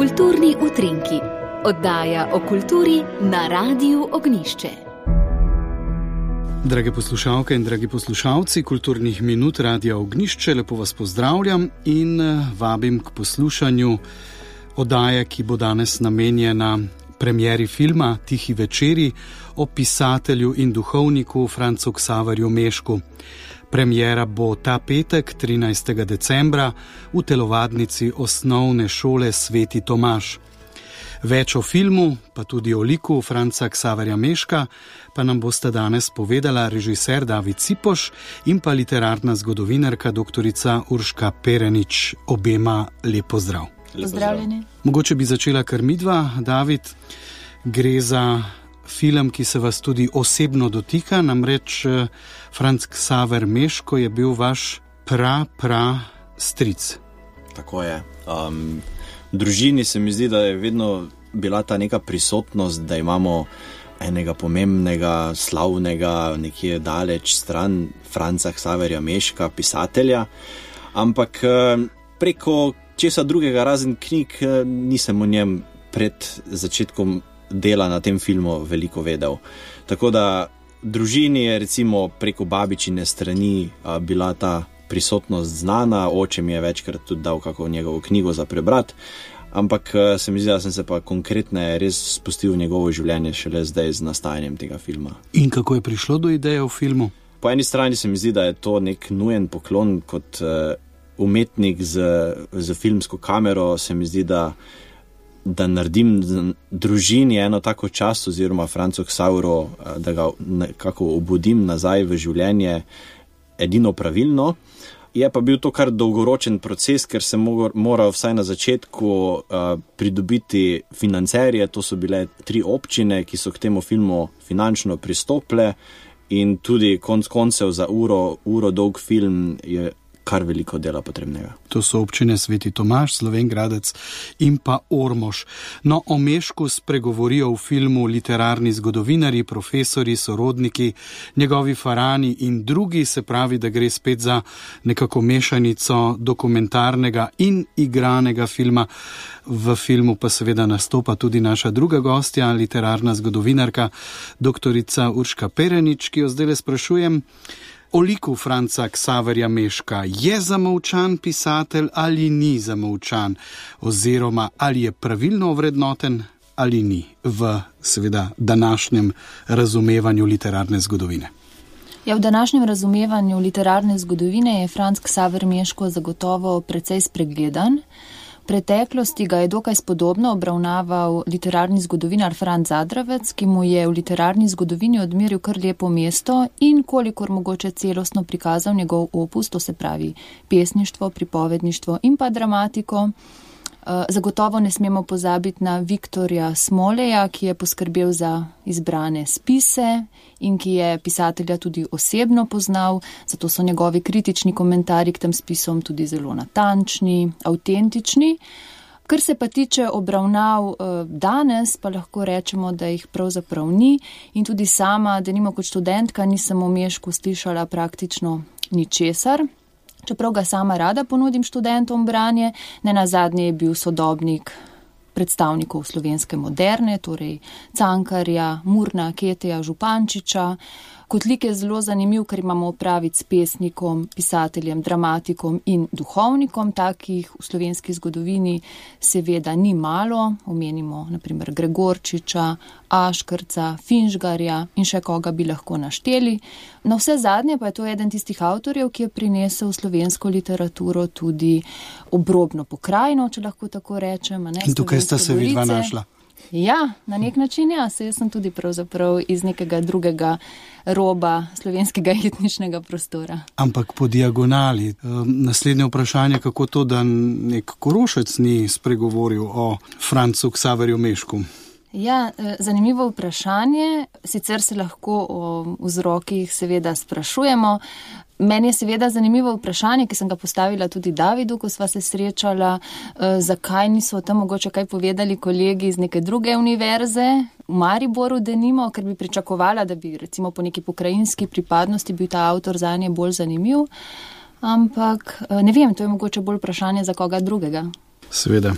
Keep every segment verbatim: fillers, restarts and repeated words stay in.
Kulturni utrinki, oddaja o kulturi na Radiu Ognjišče. Drage poslušalke in dragi poslušalci Kulturnih minut Radia Ognjišče, lepo vas pozdravljam in vabim k poslušanju oddaje, ki bo danes namenjena premieri filma Tihi večeri o pisatelju in duhovniku Francu Ksaverju Mešku. Premiera bo ta petek, trinajstega decembra, v telovadnici osnovne šole Sveti Tomaž. Več o filmu, pa tudi o liku Franca Ksaverja Meška, pa nam bosta danes povedala režiser David Cipoš in pa literarna zgodovinarka doktorica Urška Perenič. Obema lep pozdrav. Pozdravljeni. Mogoče bi začela kar midva, David. Gre za film, ki se vas tudi osebno dotika, namreč Franc Ksaver Meško je bil vaš pra, pra stric. Tako je. Um, v družini se mi zdi, da je vedno bila ta neka prisotnost, da imamo enega pomembnega, slavnega, nekje daleč stran Franca Ksaverja Meška, pisatelja, ampak preko česa drugega razen knjig nisem o njem pred začetkom dela na tem filmu veliko vedel. Tako da družini je recimo preko babičine strani a, bila ta prisotnost znana, oče mi je večkrat tudi dal kako njegovo knjigo za prebrat, ampak a, se mi zdi, da sem se pa konkretne res spustil v njegovo življenje šele zdaj z nastajanjem tega filma. In kako je prišlo do ideje v filmu? Po eni strani se mi zdi, da je to nek nujen poklon kot uh, umetnik z, z filmsko kamero, se mi zdi, da da naredim družini eno tako čast oziroma Francu Ksaveru, da ga nekako obudim nazaj v življenje edino pravilno. Je pa bil to kar dolgoročen proces, ker sem moral vsaj na začetku uh, pridobiti financerje, to so bile tri občine, ki so k temu filmu finančno pristopile in tudi konc koncev za uro, uro dolg film je kar veliko dela potrebnega. To so občine Sveti Tomaž, Slovenj Gradec in pa Ormož. No, o Mešku spregovorijo v filmu literarni zgodovinarji, profesori, sorodniki, njegovi farani in drugi, se pravi, da gre spet za nekako mešanico dokumentarnega in igranega filma. V filmu pa seveda nastopa tudi naša druga gostja, literarna zgodovinarka, doktorica Urška Perenič, ki jo zdaj sprašujem o liku Franca Ksaverja Meška. Je zamolčan pisatelj ali ni zamolčan? Oziroma, ali je pravilno ovrednoten ali ni v seveda današnjem razumevanju literarne zgodovine? Ja, v današnjem razumevanju literarne zgodovine je Franc Ksaver Meško zagotovo precej spregledan. V preteklosti ga je dokaj spodobno obravnaval literarni zgodovinar Franc Zadravec, ki mu je v literarni zgodovini odmeril kar lepo mesto in kolikor mogoče celostno prikazal njegov opus, to se pravi pesništvo, pripovedništvo in pa dramatiko. Zagotovo ne smemo pozabiti na Viktorja Smoleja, ki je poskrbel za izbrane spise in ki je pisatelja tudi osebno poznal, zato so njegovi kritični komentarji k tem spisom tudi zelo natančni, avtentični. Kar se pa tiče obravnav danes, pa lahko rečemo, da jih pravzaprav ni in tudi sama, denimo kot študentka, nisem o Mešku slišala praktično ničesar. Čeprav ga sama rada ponudim študentom branje, nenazadnje je bil sodobnik predstavnikov slovenske moderne, torej Cankarja, Murna, Keteja, Župančiča. Kot lik je zelo zanimiv, ker imamo opraviti s pesnikom, pisateljem, dramatikom in duhovnikom. Takih v slovenski zgodovini seveda ni malo. Omenimo naprimer Gregorčiča, Aškrca, Finžgarja in še koga bi lahko našteli. Na vse zadnje pa je to eden tistih avtorjev, ki je prinesel v slovensko literaturo tudi obrobno pokrajino, če lahko tako rečem. Ne, in tukaj sta se vidva našla. Ja, na nek način ja, se jaz sem tudi pravzaprav iz nekega drugega roba slovenskega etničnega prostora. Ampak po diagonali. Naslednje vprašanje, kako to, da nek Korošec ni spregovoril o Francu Ksaverju Mešku? Ja, zanimivo vprašanje. Sicer se lahko o vzrokih seveda sprašujemo. Meni je seveda zanimivo vprašanje, ki sem ga postavila tudi Davidu, ko sva se srečala, zakaj niso o tem mogoče kaj povedali kolegi iz neke druge univerze, v Mariboru denimo, ker bi pričakovala, da bi recimo po neki pokrajinski pripadnosti bil ta avtor zanje bolj zanimiv. Ampak ne vem, to je mogoče bolj vprašanje za koga drugega. Seveda.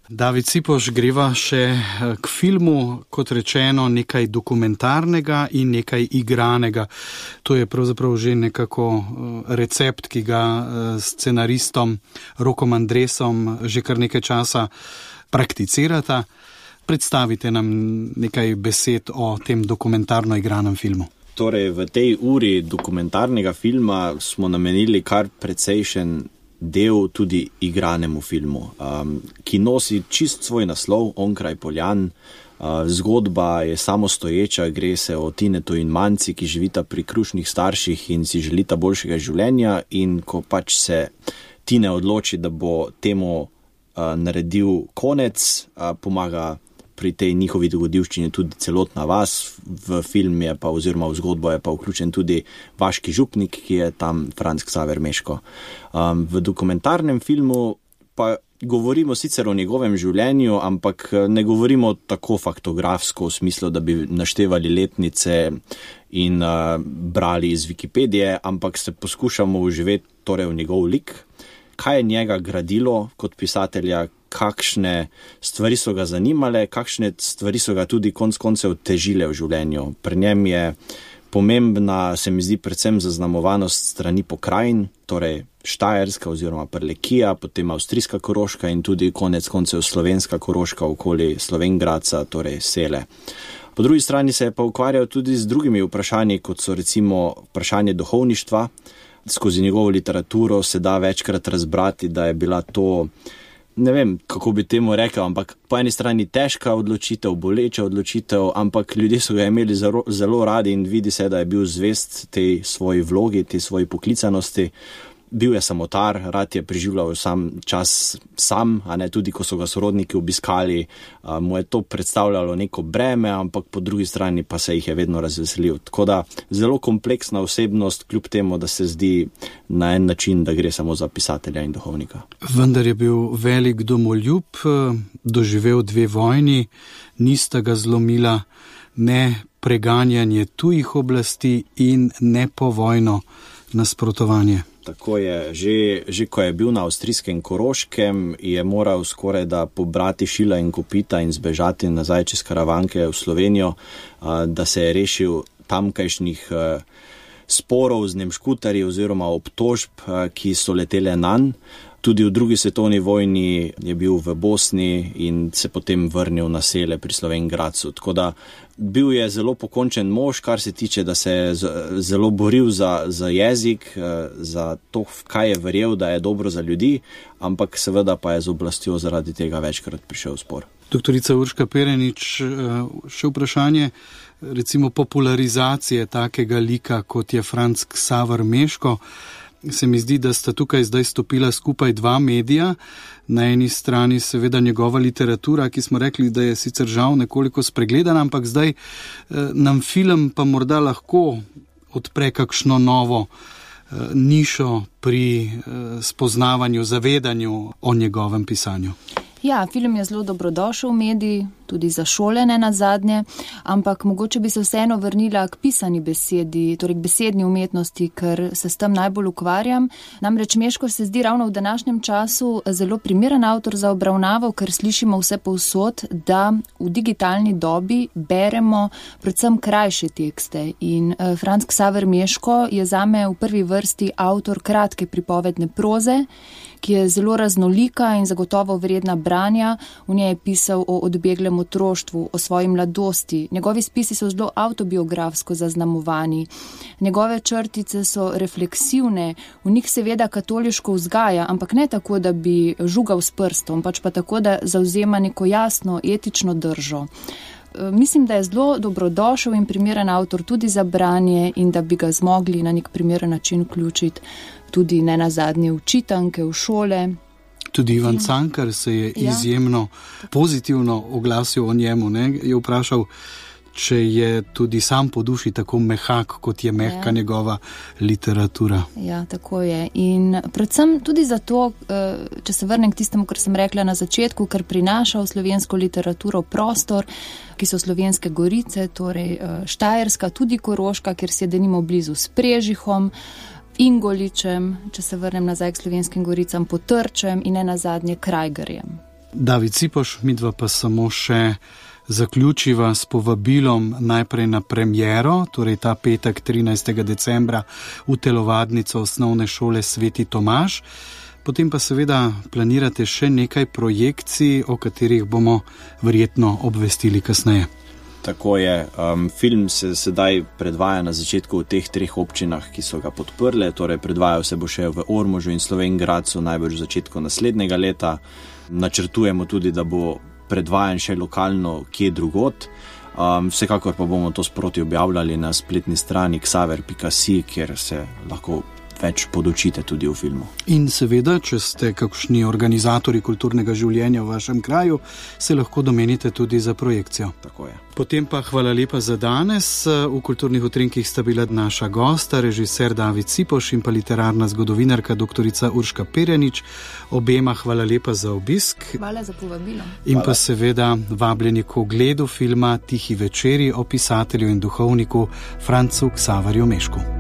David Cipoš, greva še k filmu, kot rečeno, nekaj dokumentarnega in nekaj igranega. To je pravzaprav že nekako recept, ki ga scenaristom Rokom Andresom že kar nekaj časa prakticirata. Predstavite nam nekaj besed o tem dokumentarno igranem filmu. Torej, v tej uri dokumentarnega filma smo namenili kar precejšen del tudi igranemu filmu, um, ki nosi čist svoj naslov, Onkraj poljan. Uh, zgodba je samostoječa, gre se o Tinetu in Manci, ki živita pri krušnih starših in si želita boljšega življenja, in ko pač se Tine odloči, da bo temu uh, naredil konec, uh, pomaga pri tej njihovi dogodivščini tudi celotna vas. V film je pa, oziroma v zgodbo je pa vključen tudi vaški župnik, ki je tam Franc Ksaver Meško. Um, v dokumentarnem filmu pa govorimo sicer o njegovem življenju, ampak ne govorimo tako faktografsko v smislu, da bi naštevali letnice in uh, brali iz Wikipedije, ampak se poskušamo uživeti torej v njegov lik, kaj je njega gradilo kot pisatelja, kakšne stvari so ga zanimale, kakšne stvari so ga tudi konc koncev težile v življenju. Pri njem je pomembna, se mi zdi, predvsem zaznamovanost strani pokrajin, torej Štajerska oziroma Prlekija, potem avstrijska Koroška in tudi konec koncev slovenska Koroška okoli Slovenj Gradca, torej Sele. Po drugi strani se je pa ukvarjal tudi z drugimi vprašanji, kot so recimo vprašanje duhovništva. Skozi njegovo literaturo se da večkrat razbrati, da je bila to, ne vem, kako bi temu rekel, ampak po eni strani težka odločitev, boleča odločitev, ampak ljudje so ga imeli zelo, zelo radi in vidi se, da je bil zvest tej svoji vlogi, tej svoji poklicanosti. Bil je samotar, rad je preživljal sam čas sam, a ne tudi, ko so ga sorodniki obiskali, a, mu je to predstavljalo neko breme, ampak po drugi strani pa se jih je vedno razveselil. Tako da zelo kompleksna osebnost, kljub temu, da se zdi na en način, da gre samo za pisatelja in duhovnika. Vendar je bil velik domoljub, doživel dve vojni, nista ga zlomila ne preganjanje tujih oblasti in ne povojno nasprotovanje. Tako je, že, že ko je bil na avstrijskem Koroškem, je moral skoraj da pobrati šila in kopita in zbežati nazaj čez Karavanke v Slovenijo, da se je rešil tamkajšnjih sporov z nemškutarji oziroma obtožb, ki so letele nanj. Tudi v drugi svetovni vojni je bil v Bosni in se potem vrnil na Sele pri Slovenj Gradcu. Tako da bil je zelo pokončen mož, kar se tiče, da se je zelo boril za, za jezik, za to, kaj je verjel, da je dobro za ljudi, ampak seveda pa je z oblastjo zaradi tega večkrat prišel v spor. Doktorica Urška Perenič, še vprašanje recimo popularizacije takega lika, kot je Franc Ksaver Meško. Se mi zdi, da sta tukaj zdaj stopila skupaj dva medija. Na eni strani seveda njegova literatura, ki smo rekli, da je sicer žal nekoliko spregledana, ampak zdaj eh, nam film pa morda lahko odpre kakšno novo eh, nišo pri eh, spoznavanju, zavedanju o njegovem pisanju. Ja, film je zelo dobrodošel medij, tudi za šole ne nazadnje, ampak mogoče bi se vseeno vrnila k pisani besedi, torej k besedni umetnosti, ker se s tem najbolj ukvarjam. Namreč Meško se zdi ravno v današnjem času zelo primeren avtor za obravnavo, ker slišimo vse povsod, da v digitalni dobi beremo predvsem krajše tekste. In Franc Ksaver Meško je zame v prvi vrsti avtor kratke pripovedne proze, ki je zelo raznolika in zagotovo vredna branja. V njej je pisal o odbeglem otroštvu, o svoji mladosti. Njegovi spisi so zelo avtobiografsko zaznamovani. Njegove črtice so refleksivne, v njih seveda katoliško vzgaja, ampak ne tako, da bi žugal s prstom, pač pa tako, da zavzema neko jasno etično držo. Mislim, da je zelo dobrodošel in primeren avtor tudi za branje in da bi ga zmogli na nek primeren način vključiti tudi ne nazadnje v čitanke, v šole. Tudi Ivan Cankar se je ja. izjemno pozitivno oglasil o njemu, ne? Je vprašal, če je tudi sam po duši tako mehak, kot je mehka ja. njegova literatura. Ja, tako je. In predvsem tudi zato, če se vrnem k tistemu, kar sem rekla na začetku, kar prinaša v slovensko literaturo prostor, ki so Slovenske Gorice, torej Štajerska, tudi Koroška, kjer se denimo blizu s Prežihom, Ingoličem, če se vrnem nazaj k Slovenskim Goricam, Potrčem in ne nazadnje Krajgerjem. David Cipoš, midva pa samo še zaključiva s povabilom najprej na premiero, torej ta petek trinajstega decembra v telovadnico osnovne šole Sveti Tomaž. Potem pa seveda planirate še nekaj projekcij, o katerih bomo verjetno obvestili kasneje. Tako je. Um, film se sedaj predvaja na začetku v teh treh občinah, ki so ga podprle, torej predvajal se bo še v Ormožu in Slovenj Gradcu najbolj v začetku naslednjega leta. Načrtujemo tudi, da bo predvajan še lokalno kje drugot. Um, vsekakor pa bomo to sproti objavljali na spletni strani ksaver pika si, kjer se lahko več podučite tudi v filmu. In seveda, če ste kakšni organizatori kulturnega življenja v vašem kraju, se lahko domenite tudi za projekcijo. Tako je. Potem pa hvala lepa za danes. V Kulturnih utrinkih sta bila naša gosta, režiser David Cipoš in pa literarna zgodovinarka doktorica Urška Perjanič. Obema hvala lepa za obisk. Hvala za povabilo. In hvala. Pa seveda vabljeni k ogledu filma Tihi večeri o pisatelju in duhovniku Francu Ksaverju Mešku.